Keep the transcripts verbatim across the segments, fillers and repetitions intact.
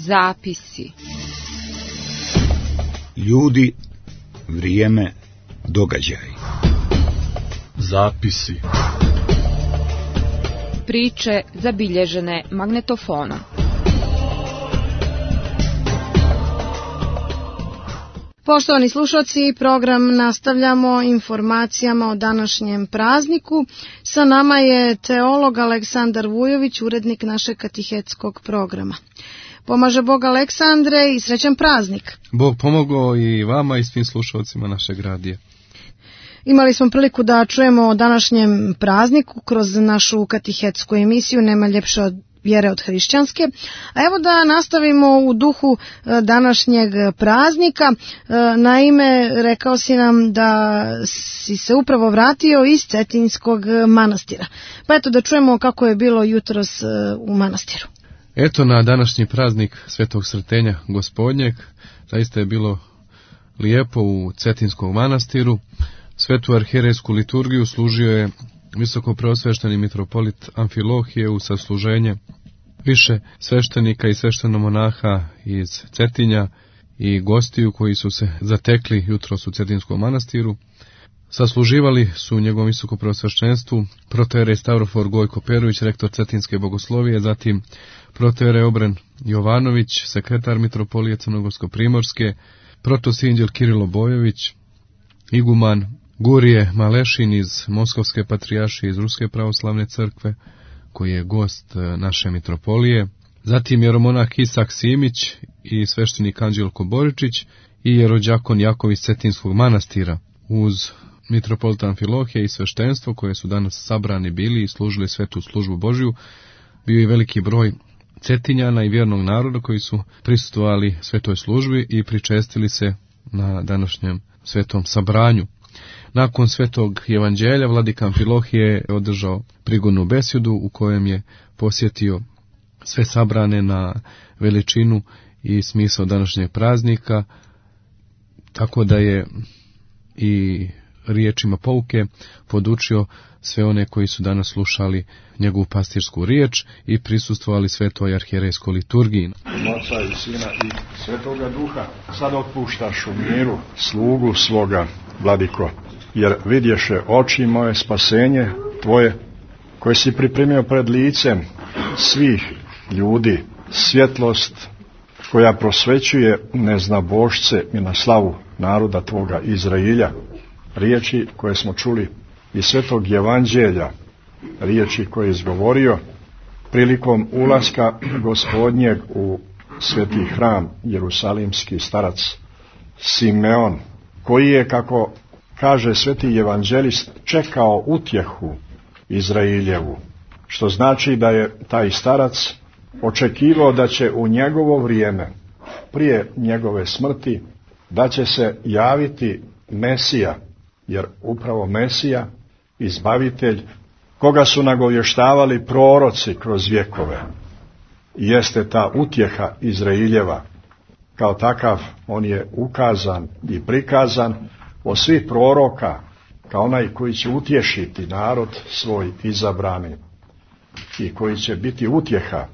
Zapisi. Ljudi, vrijeme, događaj. Zapisi. Priče zabilježene magnetofonom. Poštovani slušalci, program nastavljamo informacijama o današnjem prazniku. Sa nama je teolog Aleksandar Vujović, urednik našeg katehetskog programa. Pomaže Bog Aleksandre i srećan praznik. Bog pomogao i vama i svim slušalcima našeg radija. Imali smo priliku da čujemo o današnjem prazniku kroz našu katehetsku emisiju Nema ljepše od vjere od hrišćanske. A evo da nastavimo u duhu današnjeg praznika. Naime, rekao si nam da si se upravo vratio iz Cetinskog manastira. Pa eto da čujemo kako je bilo jutros u manastiru. Eto, na današnji praznik Svetog Srtenja Gospodnjeg zaista je bilo lijepo u Cetinskom manastiru. Svetu arhijerejsku liturgiju služio je visoko preosvešteni mitropolit Amfilohije u sasluženje više sveštenika i sveštenomonaha iz Cetinja i gostiju koji su se zatekli jutros u Cetinskom manastiru. Sasluživali su njegovom visoko preosveštenstvu protojerej Stavrofor Gojko Perović, rektor Cetinske bogoslovije, zatim protojerej Obren Jovanović, sekretar mitropolije Crnogorsko-primorske, protosinđel Kirilo Bojović, iguman Gurije Malešin iz Moskovske patrijaršije iz Ruske pravoslavne crkve, koji je gost naše mitropolije, zatim jeromonah Isak Simić i sveštenik Anđelko Boričić i jerođakon Jakov iz Cetinskog manastira. Uz mitropolita Amfilohije i sveštenstvo koje su danas sabrani bili i služili svetu službu Božju, bio i veliki broj Cetinjana i vjernog naroda koji su prisustvovali svetoj službi i pričestili se na današnjem svetom sabranju. Nakon svetog evanđelja vladika Amfilohije je održao prigodnu besedu u kojem je posjetio sve sabrane na veličinu i smisao današnjeg praznika, tako da je i riječima pouke podučio sve one koji su danas slušali njegovu pastirsku riječ i prisustvovali svetoj arhijerejskoj liturgiji. Oca i Sina i Svetoga Duha, sad otpuštaš u miru slugu svoga, vladiko, jer vidješe oči moje spasenje tvoje, koje si pripremio pred licem svih ljudi, svjetlost koja prosvećuje neznabošce i na slavu naroda tvoga Izrailja. Riječi koje smo čuli iz Svetog evanđelja, riječi koje je izgovorio prilikom ulaska Gospodnjeg u sveti hram, jerusalimski starac Simeon, koji je, kako kaže sveti evanđelist, čekao utjehu Izrailjevu, što znači da je taj starac očekivao da će u njegovo vrijeme, prije njegove smrti, da će se javiti Mesija, jer upravo Mesija, izbavitelj, koga su nagovještavali proroci kroz vjekove, jeste ta utjeha Izraeljeva. Kao takav on je ukazan i prikazan od svih proroka kao onaj koji će utješiti narod svoj izabrani i koji će biti utjeha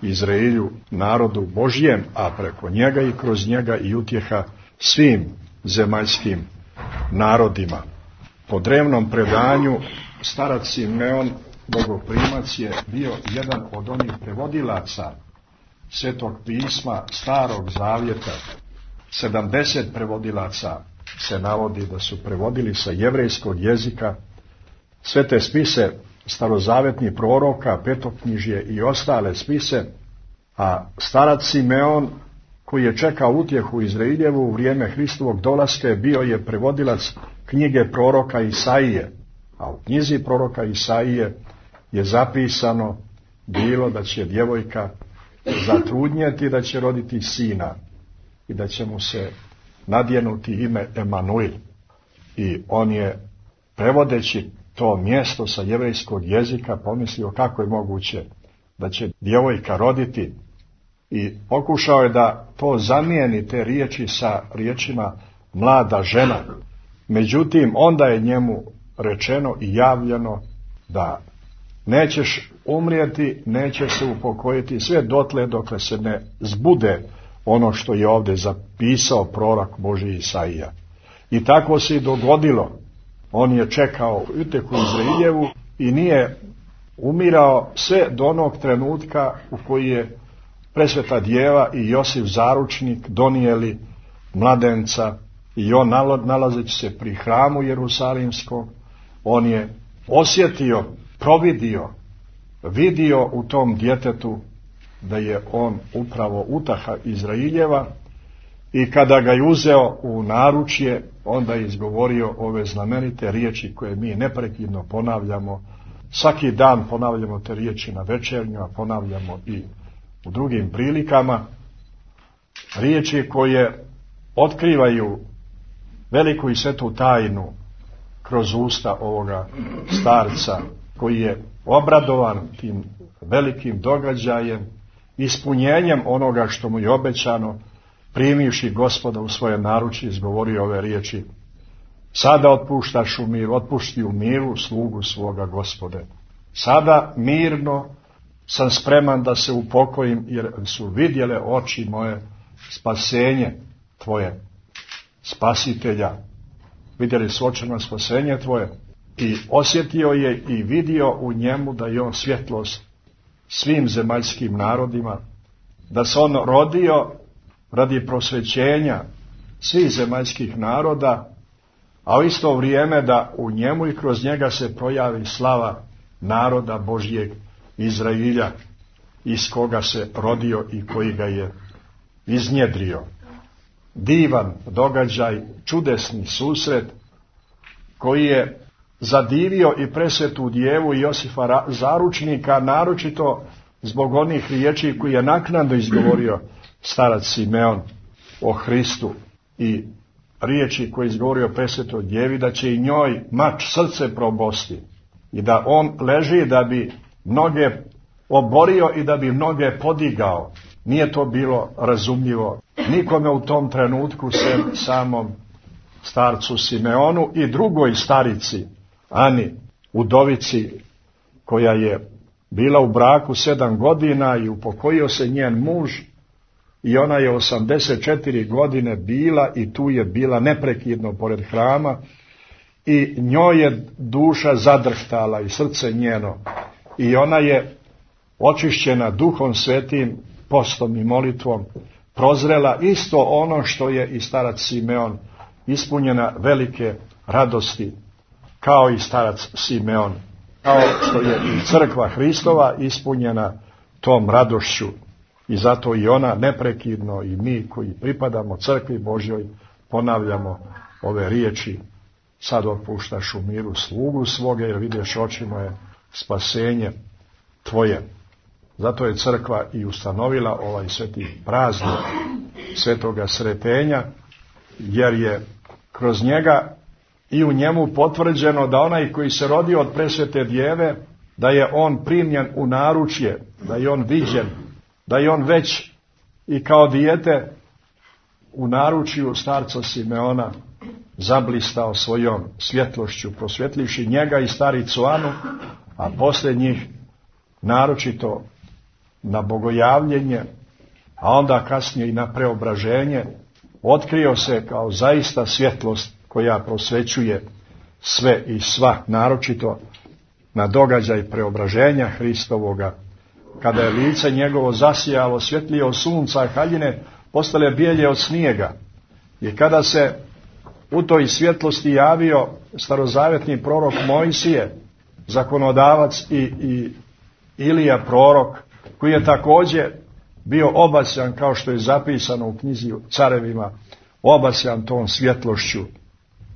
Izraelju, narodu Božjem, a preko njega i kroz njega i utjeha svim zemaljskim narodima. Po drevnom predanju starac Simeon Bogoprimac je bio jedan od onih prevodilaca Svetog pisma Starog Zavjeta. sedamdeset prevodilaca se navodi da su prevodili sa jevrejskog jezika svete spise starozavjetnih proroka, petoknjižje i ostale spise, a starac Simeon, koji je čekao utjehu Izraeljevu u vrijeme Hristovog dolaska, bio je prevodilac knjige proroka Isaije, a u knjizi proroka Isaije je zapisano bilo da će djevojka zatrudnjeti, da će roditi sina i da će mu se nadjenuti ime Emanuil. I on je, prevodeći to mjesto sa jevrejskog jezika, pomislio kako je moguće da će djevojka roditi i pokušao je da to zamijeni, te riječi, sa riječima mlada žena. Međutim, onda je njemu rečeno i javljeno da nećeš umrijeti, nećeš se upokojiti sve dotle dokle se ne zbude ono što je ovdje zapisao prorok Božji Isaija. I tako se i dogodilo. On je čekao uteku Izraeljevu i nije umirao sve do onog trenutka u koji je Presveta Djeva i Josif Zaručnik donijeli mladenca i on nalazeći se pri hramu Jerusalimskom, on je osjetio, providio, vidio u tom djetetu da je on upravo utaha Izraeljeva i kada ga je uzeo u naručje, onda je izgovorio ove znamenite riječi koje mi neprekidno ponavljamo. Svaki dan ponavljamo te riječi na večernju, a ponavljamo i u drugim prilikama. Riječi koje otkrivaju veliku i svetu tajnu kroz usta ovoga starca koji je obradovan tim velikim događajem, ispunjenjem onoga što mu je obećano, primivši Gospoda u svoje naručje, izgovorio ove riječi: sada otpuštaš u miru, otpušti u miru slugu svoga Gospode. Sada mirno sam spreman da se upokojim, jer su vidjele oči moje spasenje tvoje, spasitelja. Vidjeli su očima spasenje tvoje i osjetio je i vidio u njemu da je on svjetlost svim zemaljskim narodima, da se on rodio radi prosvećenja svih zemaljskih naroda, a u isto vrijeme da u njemu i kroz njega se projavi slava naroda Božjeg Izrailja, iz koga se rodio i koji ga je iznjedrio. Divan događaj, čudesni susret koji je zadivio i Presvetu Djevu i Josifa Zaručnika, naročito zbog onih riječi koje je naknadno izgovorio starac Simeon o Hristu i riječi koje je izgovorio Presvetoj Djevi da će i njoj mač srce probosti i da on leži da bi mnoge oborio i da bi mnoge podigao. Nije to bilo razumljivo nikome u tom trenutku, sem samom starcu Simeonu i drugoj starici Ani, udovici, koja je bila u braku sedam godina i upokojio se njen muž i ona je osamdeset četiri godine bila i tu je bila neprekidno pored hrama i njoj je duša zadrhtala i srce njeno i ona je očišćena Duhom Svetim, postom i molitvom prozrela isto ono što je i starac Simeon, ispunjena velike radosti kao i starac Simeon, kao što je i crkva Hristova ispunjena tom radošću. I zato i ona neprekidno i mi koji pripadamo crkvi Božjoj ponavljamo ove riječi: sad otpuštaš u miru slugu svoga, jer vidiš oči moje spasenje tvoje. Zato je crkva i ustanovila ovaj sveti praznik svetoga sretenja, jer je kroz njega i u njemu potvrđeno da onaj koji se rodio od Presvete Djeve, da je on primljen u naručje, da je on viđen, da je on već i kao dijete u naručju starca Simeona zablistao svojom svjetlošću, prosvjetlivši njega i staricu Anu, a poslije njih naročito na bogojavljenje, a onda kasnije i na preobraženje, otkrio se kao zaista svjetlost koja prosvećuje sve i sva, naročito na događaj preobraženja Hristovoga, kada je lice njegovo zasijalo svjetlije od sunca, a haljine postale bijelje od snijega. I kada se u toj svjetlosti javio starozavjetni prorok Mojsije, zakonodavac i, i Ilija prorok, koji je također bio obasjan, kao što je zapisano u knjizi Carevima, obasjan tom svjetlošću,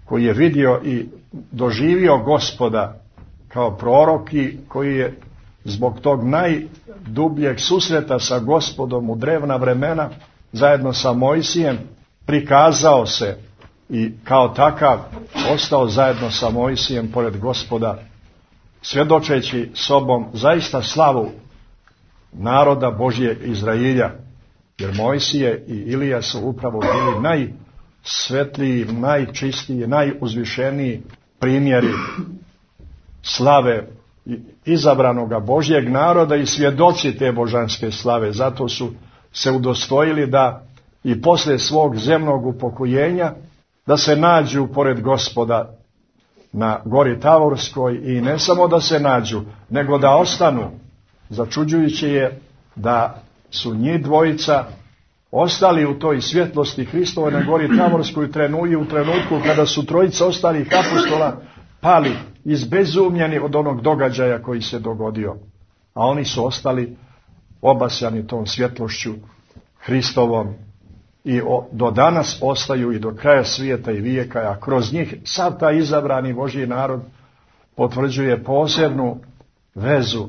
koji je vidio i doživio Gospoda kao prorok i koji je zbog tog najdubljeg susreta sa Gospodom u drevna vremena zajedno sa Mojsijem prikazao se i kao takav ostao zajedno sa Mojsijem pored Gospoda, svjedočeći sobom zaista slavu naroda Božjeg Izrailja, jer Mojsije i Ilija su upravo bili najsvetliji, najčistiji, najuzvišeniji primjeri slave izabranoga Božjeg naroda i svjedoci te božanske slave. Zato su se udostojili da i posle svog zemnog upokojenja da se nađu pored Gospoda na gori Tavorskoj i ne samo da se nađu, nego da ostanu. Začuđujuće je da su njih dvojica ostali u toj svjetlosti Hristove na gori Tavorskoj i u trenutku kada su trojica ostalih apostola pali izbezumljeni od onog događaja koji se dogodio. A oni su ostali obasjani tom svjetlošću Hristovom i do danas ostaju i do kraja svijeta i vijeka, a kroz njih sav taj izabrani Božji narod potvrđuje posebnu vezu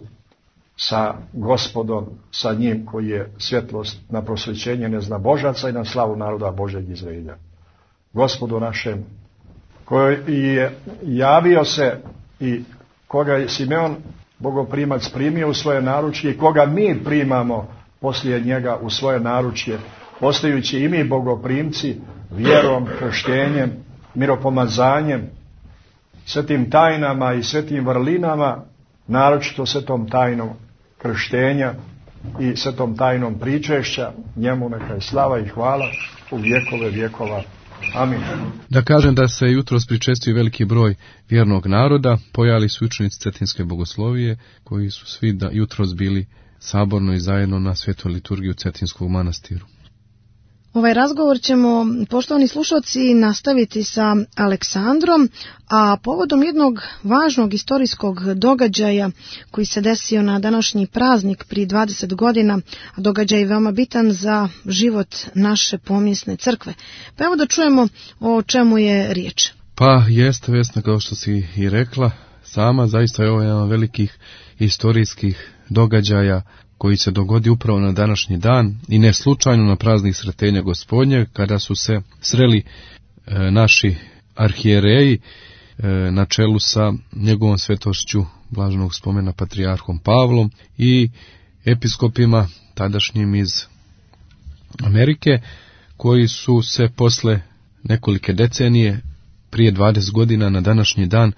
sa Gospodom, sa njim koji je svjetlost na prosvećenje neznabožaca i na slavu naroda Božeg Izraelja. Gospodu našem, koji je javio se i koga je Simeon bogoprimac primio u svoje naručje i koga mi primamo poslije njega u svoje naručje, postajući i mi bogoprimci vjerom, krštenjem, miropomazanjem, svetim tajnama i svetim vrlinama, naročito svetom tajnom krštenja i svetom tajnom pričešća, njemu neka je slava i hvala u vjekove vjekova. Amin. Da kažem da se jutros pričestio veliki broj vjernog naroda, pojavili su učenici Cetinske bogoslovije, koji su svi da jutros bili saborno i zajedno na svetoj liturgiji u Cetinskog manastiru. Ovaj razgovor ćemo, poštovani slušalci, nastaviti sa Aleksandrom, a povodom jednog važnog istorijskog događaja koji se desio na današnji praznik prije dvadeset godina, a događaj je veoma bitan za život naše pomjesne crkve. Pa evo da čujemo o čemu je riječ. Pa jeste, Vesna, kao što si i rekla sama, zaista je ovo jedan od velikih istorijskih događaja koji se dogodi upravo na današnji dan i ne slučajno na praznik Sretenja Gospodnje, kada su se sreli e, naši arhijereji e, na čelu sa njegovom svetošću blaženog spomena patrijarhom Pavlom i episkopima tadašnjim iz Amerike, koji su se posle nekolike decenije, prije dvadeset godina na današnji dan,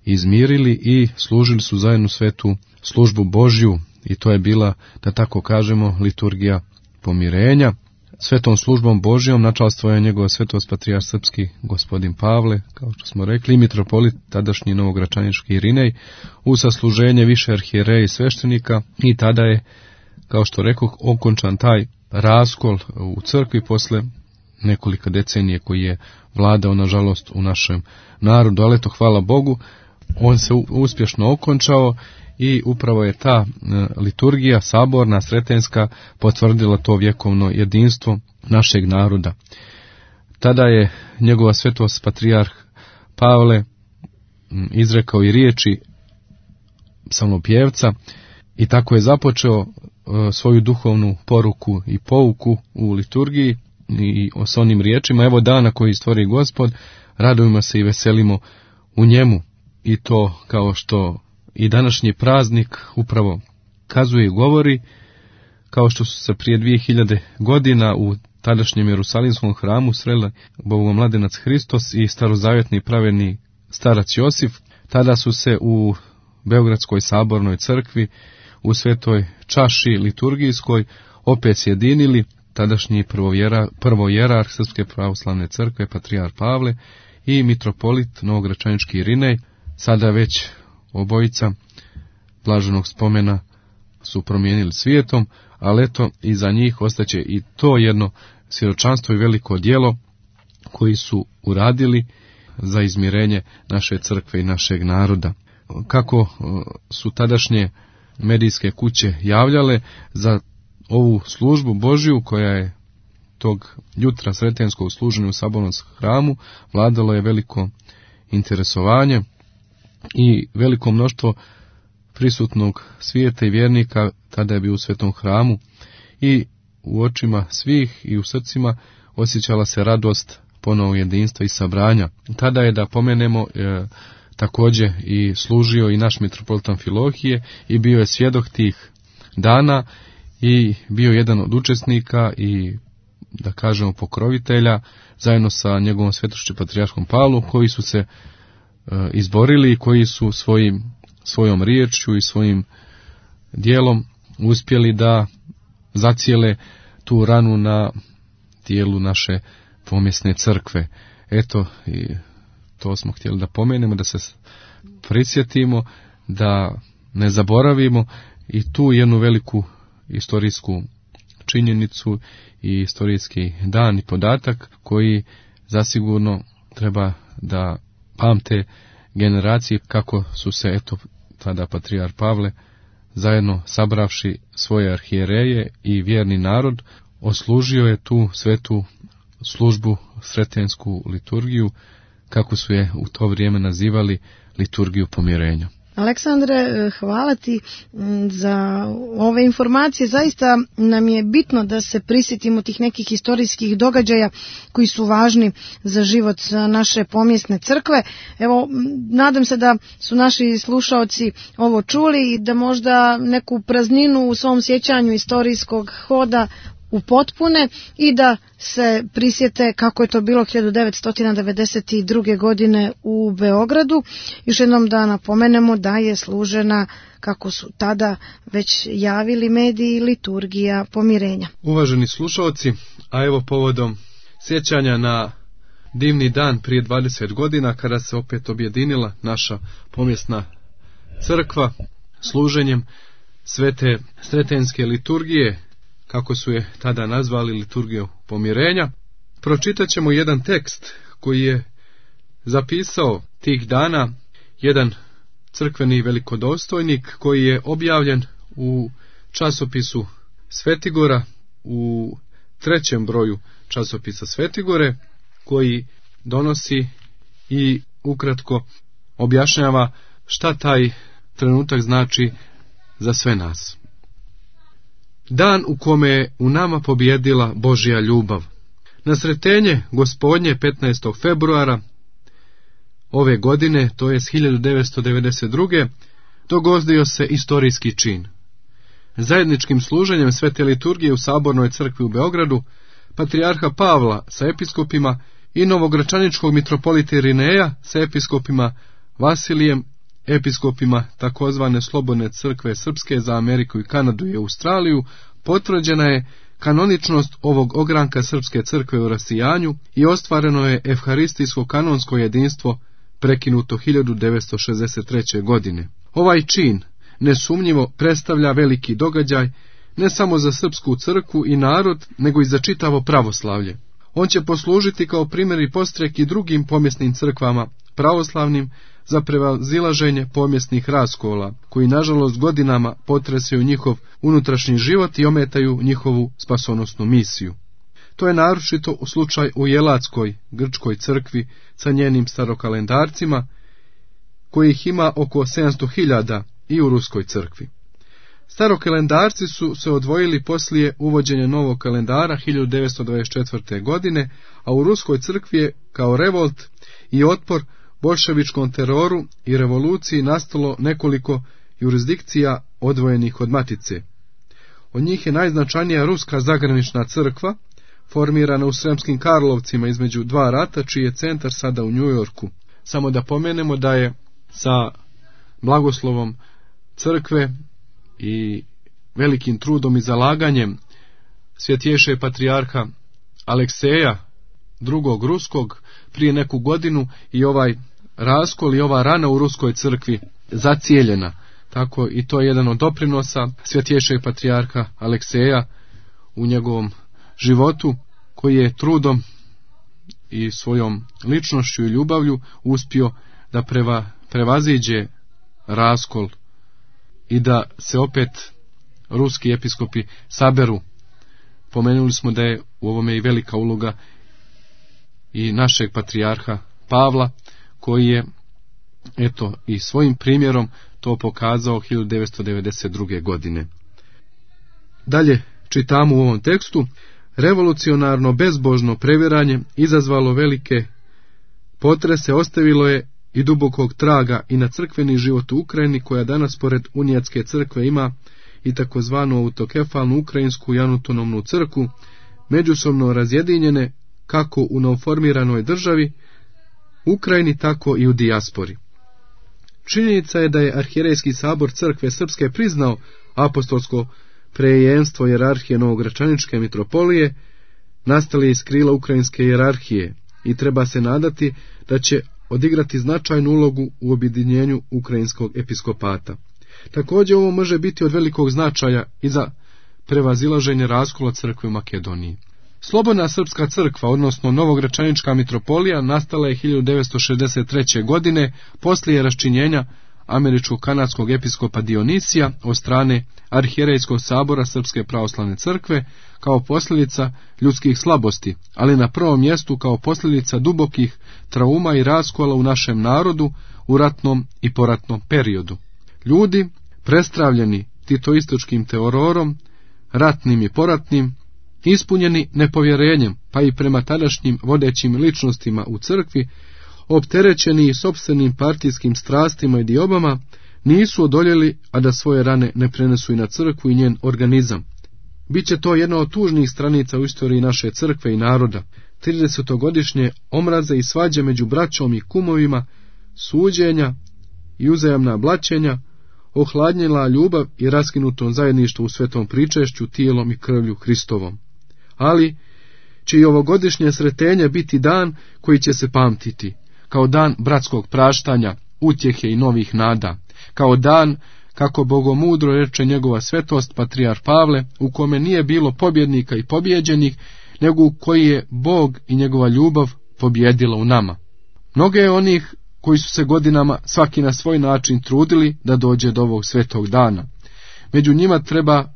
izmirili i služili su zajedno svetu službu Božju. I to je bila, da tako kažemo, liturgija pomirenja. Svetom službom Božjom načalstvo je njegov svetost patrijarh srpski gospodin Pavle, kao što smo rekli, mitropolit tadašnji novogračanički Irinej, u sasluženje više arhijereja i sveštenika, i tada je, kao što rekoh, okončan taj raskol u crkvi posle nekoliko decenije koji je vladao, nažalost, u našem narodu, ali eto, hvala Bogu, on se uspješno okončao. I upravo je ta liturgija saborna, sretenska, potvrdila to vjekovno jedinstvo našeg naroda. Tada je njegova svetost patrijarh Pavle izrekao i riječi psalmopjevca i tako je započeo svoju duhovnu poruku i pouku u liturgiji i s onim riječima: evo dana koji stvori Gospod, radujemo se i veselimo u njemu. I to, kao što i današnji praznik upravo kazuje i govori, kao što su se prije dvije hiljade godina u tadašnjem Jerusalimskom hramu sreli Bogomladenac Hristos i starozavjetni pravedni starac Josif, tada su se u Beogradskoj sabornoj crkvi u svetoj čaši liturgijskoj opet sjedinili tadašnji prvojerarh Srpske pravoslavne crkve patrijarh Pavle i mitropolit novogračanički Irinej. Sada već obojica blaženog spomena su promijenili svijetom, ali eto, iza njih ostaće i to jedno svjedočanstvo i veliko djelo koji su uradili za izmirenje naše crkve i našeg naroda. Kako su tadašnje medijske kuće javljale za ovu službu Božju, koja je tog jutra sretenskog služenja u sabornom hramu, vladalo je veliko interesovanje i veliko mnoštvo prisutnog svijeta i vjernika tada je bio u svetom hramu i u očima svih i u srcima osjećala se radost ponovnog jedinstva i sabranja. Tada je, da pomenemo, e, također i služio i naš mitropolit Amfilohije i bio je svjedok tih dana i bio jedan od učesnika i, da kažemo, pokrovitelja zajedno sa njegovom svetošću patrijarhom Pavlom, koji su se izborili i koji su svojim svojom riječju i svojim dijelom uspjeli da zacijele tu ranu na dijelu naše pomjesne crkve. Eto, i to smo htjeli da pomenemo, da se prisjetimo, da ne zaboravimo i tu jednu veliku istorijsku činjenicu i istorijski dan i podatak koji zasigurno treba da pamte generacije, kako su se eto tada patrijar Pavle zajedno sabravši svoje arhijereje i vjerni narod oslužio je tu svetu službu, sretensku liturgiju, kako su je u to vrijeme nazivali liturgiju pomirenja. Aleksandre, hvala ti za ove informacije. Zaista nam je bitno da se prisjetimo tih nekih historijskih događaja koji su važni za život naše pomjesne crkve. Evo, nadam se da su naši slušaoci ovo čuli i da možda neku prazninu u svom sjećanju istorijskog hoda upotpune i da se prisjete kako je to bilo hiljadu devetsto devedeset druge. godine u Beogradu. Još jednom da napomenemo da je služena, kako su tada već javili mediji, liturgija pomirenja. Uvaženi slušalci, a evo povodom sjećanja na divni dan prije dvadeset godina, kada se opet objedinila naša pomjesna crkva služenjem svete sretenske liturgije, kako su je tada nazvali liturgiju pomirenja, pročitat ćemo jedan tekst koji je zapisao tih dana jedan crkveni velikodostojnik koji je objavljen u časopisu Svetigora, u trećem broju časopisa Svetigore, koji donosi i ukratko objašnjava šta taj trenutak znači za sve nas. Dan u kome je u nama pobjedila Božja ljubav. Na sretenje Gospodnje petnaestog februara ove godine, to je hiljadu devetsto devedeset druge. dogodio se istorijski čin. Zajedničkim služenjem svete liturgije u Sabornoj crkvi u Beogradu, patrijarha Pavla sa episkopima i novogračaničkog mitropolita Irineja sa episkopima Vasilijem, episkopima takozvane Slobodne crkve srpske za Ameriku i Kanadu i Australiju, potvrđena je kanoničnost ovog ogranka srpske crkve u rasijanju i ostvareno je evharistijsko kanonsko jedinstvo prekinuto hiljadu devetsto šezdeset treće. godine. Ovaj čin nesumnjivo predstavlja veliki događaj ne samo za srpsku crkvu i narod, nego i za čitavo pravoslavlje. On će poslužiti kao primjer i postrek i drugim pomjesnim crkvama pravoslavnim za prevazilaženje pomjesnih raskola, koji nažalost godinama potresaju njihov unutrašnji život i ometaju njihovu spasonosnu misiju. To je naročito u slučaj u Jelatskoj grčkoj crkvi sa njenim starokalendarcima, kojih ima oko sedamsto hiljada, i u ruskoj crkvi. Starokalendarci su se odvojili poslije uvođenja novog kalendara hiljadu devetsto dvadeset četvrte. godine, a u ruskoj crkvi je kao revolt i otpor boljševičkom teroru i revoluciji nastalo nekoliko jurisdikcija odvojenih od matice. Od njih je najznačajnija ruska zagranična crkva, formirana u Sremskim Karlovcima između dva rata, čiji je centar sada u Njujorku. Samo da pomenemo da je sa blagoslovom crkve i velikim trudom i zalaganjem svjetješe patrijarha Alekseja drugog ruskog prije neku godinu i ovaj raskol i ova rana u ruskoj crkvi zacijeljena. Tako i to je jedan od doprinosa svjetješeg patrijarha Alekseja u njegovom životu, koji je trudom i svojom ličnošću i ljubavlju uspio da preva, prevaziđe raskol i da se opet ruski episkopi saberu. Pomenuli smo da je u ovome i velika uloga i našeg patrijarha Pavla, koji je eto i svojim primjerom to pokazao hiljadu devetsto devedeset druge. godine. Dalje čitamo u ovom tekstu: revolucionarno bezbožno previranje izazvalo velike potrese, ostavilo je i dubokog traga i na crkveni život u Ukrajini, koja danas pored Unijatske crkve ima i takozvanu autokefalnu ukrajinsku i autonomnu crkvu, međusobno razjedinjene kako u novoformiranoj državi Ukrajini, tako i u dijaspori. Činjenica je da je Arhijerejski sabor crkve srpske priznao apostolsko prejenstvo jerarhije Novogračaničke mitropolije, nastale iz krila ukrajinske jerarhije, i treba se nadati da će odigrati značajnu ulogu u objedinjenju ukrajinskog episkopata. Također ovo može biti od velikog značaja i za prevazilaženje raskola crkve u Makedoniji. Slobodna srpska crkva, odnosno Novogračanička mitropolija, nastala je hiljadu devetsto šezdeset treće. godine poslije raščinjenja američko-kanadskog episkopa Dionisija od strane Arhijerejskog sabora Srpske pravoslavne crkve kao posljedica ljudskih slabosti, ali na prvom mjestu kao posljedica dubokih trauma i raskola u našem narodu u ratnom i poratnom periodu. Ljudi, prestravljeni titoističkim terorom, ratnim i poratnim, ispunjeni nepovjerenjem, pa i prema tadašnjim vodećim ličnostima u crkvi, opterećeni i sopstvenim partijskim strastima i diobama, nisu odoljeli, a da svoje rane ne prenesu i na crkvu i njen organizam. Biće to jedna od tužnih stranica u istoriji naše crkve i naroda. tridesetogodišnje omraze i svađe među braćom i kumovima, suđenja i uzajamna blaćenja, ohladnjila ljubav i raskinuto zajedništvo u svetom pričešću, tijelom i krvlju Hristovom. Ali će i ovogodišnje sretenje biti dan koji će se pamtiti, kao dan bratskog praštanja, utjehe i novih nada, kao dan, kako bogomudro reče njegova svetost patrijar Pavle, u kome nije bilo pobjednika i pobjeđenih, nego u koji je Bog i njegova ljubav pobjedila u nama. Mnoge je onih koji su se godinama svaki na svoj način trudili da dođe do ovog svetog dana. Među njima treba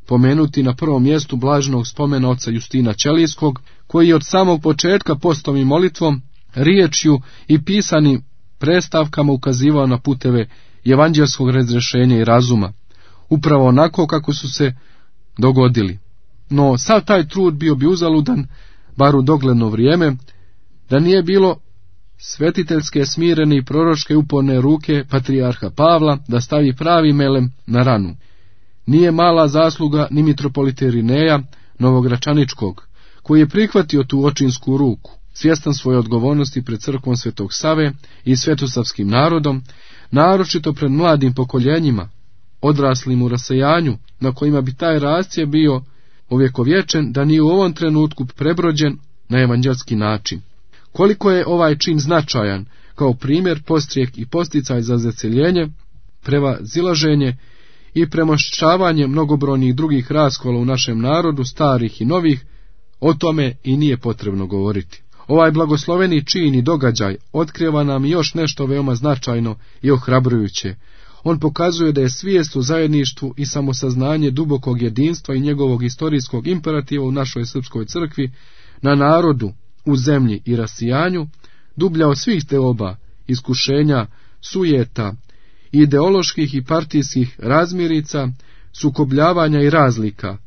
pomenuti na prvom mjestu blaženog spomena oca Justina Ćelijskog, koji je od samog početka postom i molitvom, riječju i pisanim predstavkama ukazivao na puteve evanđelskog razrješenja i razuma, upravo onako kako su se dogodili. No sav taj trud bio bi uzaludan, bar u dogledno vrijeme, da nije bilo svetiteljske, smirene i proročke uporne ruke patrijarha Pavla da stavi pravi melem na ranu. Nije mala zasluga ni mitropolita Irineja Novogračaničkog, koji je prihvatio tu očinsku ruku, svjestan svoje odgovornosti pred crkvom Svetog Save i svetosavskim narodom, naročito pred mladim pokoljenjima, odraslim u rasejanju, na kojima bi taj rascje bio ovjekovječen, da nije u ovom trenutku prebrođen na evanđelski način. Koliko je ovaj čin značajan kao primjer, postrijek i posticaj za zaceljenje, prevazilaženje i premošćavanje mnogobrojnih drugih raskola u našem narodu, starih i novih, o tome i nije potrebno govoriti. Ovaj blagosloveni čin i događaj otkriva nam još nešto veoma značajno i ohrabrujuće. On pokazuje da je svijest o zajedništvu i samosaznanje dubokog jedinstva i njegovog historijskog imperativa u našoj srpskoj crkvi, na narodu, u zemlji i rasijanju, dublja od svih teoba, iskušenja, sujeta, ideoloških i partijskih razmirica, sukobljavanja i razlika,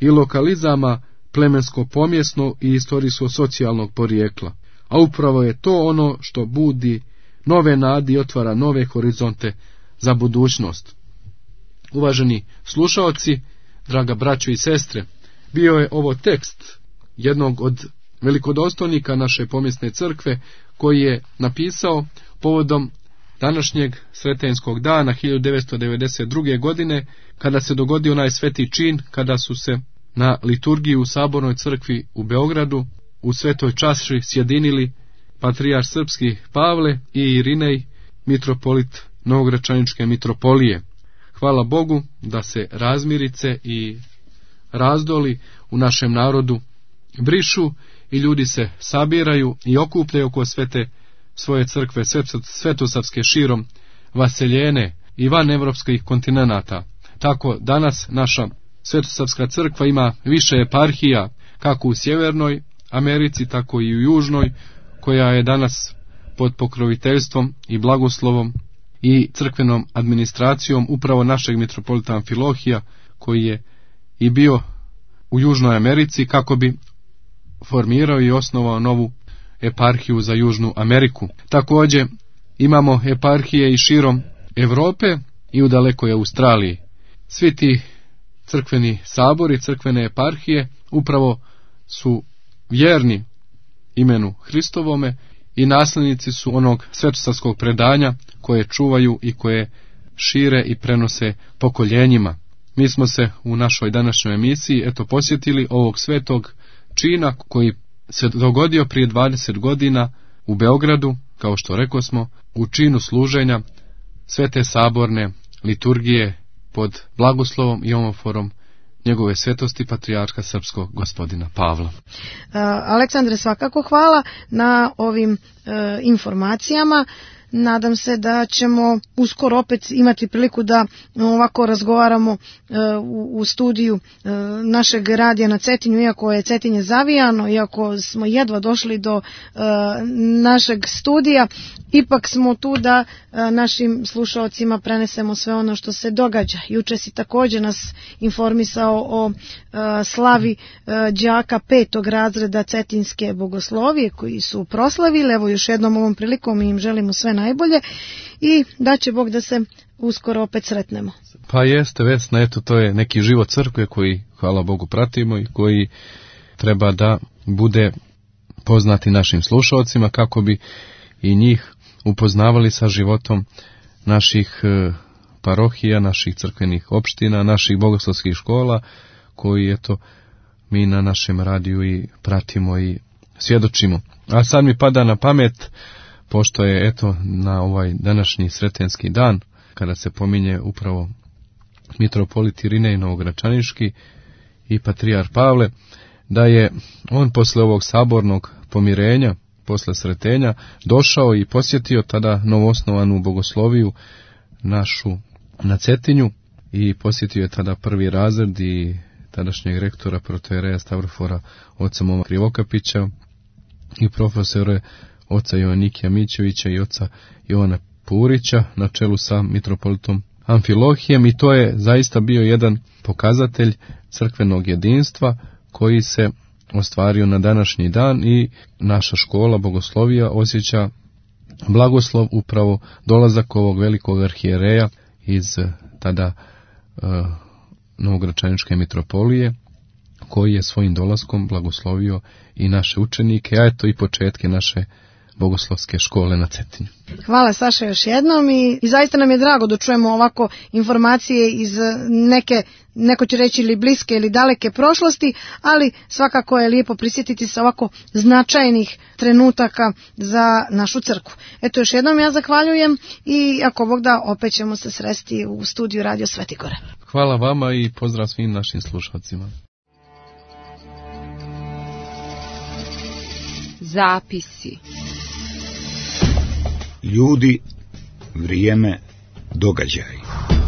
i lokalizama plemensko-pomjesno i istorijsko-socijalnog porijekla. A upravo je to ono što budi nove nadi i otvara nove horizonte za budućnost. Uvaženi slušaoci, draga braćo i sestre, bio je ovo tekst jednog od velikodostojnika naše pomjesne crkve, koji je napisao povodom današnjeg sretenskog dana hiljadu devetsto devedeset druge. godine, kada se dogodio onaj sveti čin, kada su se na liturgiji u Sabornoj crkvi u Beogradu u svetoj čaši sjedinili patrijarh srpski Pavle i Irinej, mitropolit Novogračaničke mitropolije. Hvala Bogu da se razmirice i razdoli u našem narodu brišu i ljudi se sabiraju i okupljaju oko svete svoje crkve svetosavske širom vaseljene i van evropskih kontinenata. Tako danas naša svetosavska crkva ima više eparhija, kako u Sjevernoj Americi, tako i u Južnoj, koja je danas pod pokroviteljstvom i blagoslovom i crkvenom administracijom upravo našeg mitropolita Amfilohija, koji je i bio u Južnoj Americi kako bi formirao i osnovao novu eparhiju za Južnu Ameriku. Također imamo eparhije i širom Europe i u dalekoj Australiji. Svi ti crkveni sabori, crkvene eparhije upravo su vjerni imenu Hristovome i nasljednici su onog svetosavskog predanja koje čuvaju i koje šire i prenose pokoljenjima. Mi smo se u našoj današnjoj emisiji eto posjetili ovog svetog čina koji se dogodio prije dvadeset godina u Beogradu, kao što rekosmo, u činu služenja svete saborne liturgije pod blagoslovom i omoforom njegove svetosti patrijarha srpskog gospodina Pavla. Uh, Aleksandre, svakako hvala na ovim uh, informacijama. Nadam se da ćemo uskoro opet imati priliku da ovako razgovaramo uh, u, u studiju uh, našeg radija na Cetinju, iako je Cetinje zavijano, iako smo jedva došli do uh, našeg studija, ipak smo tu da uh, našim slušalcima prenesemo sve ono što se događa. Juče si također nas informisao o uh, slavi uh, đaka petog razreda Cetinske bogoslovije koji su proslavili. Evo još jednom ovom prilikom im želimo sve najbolje i da će Bog da se uskoro opet sretnemo. Pa jeste, Vesna, eto to je neki život crkve koji, hvala Bogu, pratimo i koji treba da bude poznati našim slušalcima kako bi i njih upoznavali sa životom naših parohija, naših crkvenih opština, naših bogoslovskih škola koji eto mi na našem radiju i pratimo i svjedočimo. A sad mi pada na pamet, pošto je eto na ovaj današnji sretenski dan, kada se pominje upravo mitropolit Irinej Novogračaniški i patrijar Pavle, da je on posle ovog sabornog pomirenja, posle sretenja, došao i posjetio tada novoosnovanu bogosloviju našu na Cetinju i posjetio je tada prvi razred i tadašnjeg rektora protojereja Stavrofora oca Moma Krivokapića i profesore oca Jovanikija Mićevića i oca Jovana Purića na čelu sa mitropolitom Amfilohijem, i to je zaista bio jedan pokazatelj crkvenog jedinstva koji se ostvario na današnji dan i naša škola bogoslovija osjeća blagoslov upravo dolazak ovog velikog arhijereja iz tada uh, Novogračaničke mitropolije, koji je svojim dolaskom blagoslovio i naše učenike, a eto i početke naše bogoslovske škole na Cetinju. Hvala Saša još jednom i, i zaista nam je drago da čujemo ovako informacije iz neke, neko će reći ili bliske ili daleke prošlosti, ali svakako je lijepo prisjetiti se ovako značajnih trenutaka za našu crkvu. Eto još jednom ja zahvaljujem i ako Bog da opet ćemo se sresti u studiju Radio Svetigore. Hvala vama i pozdrav svim našim slušalcima. Zapisi. Ljudi, vrijeme, događaj.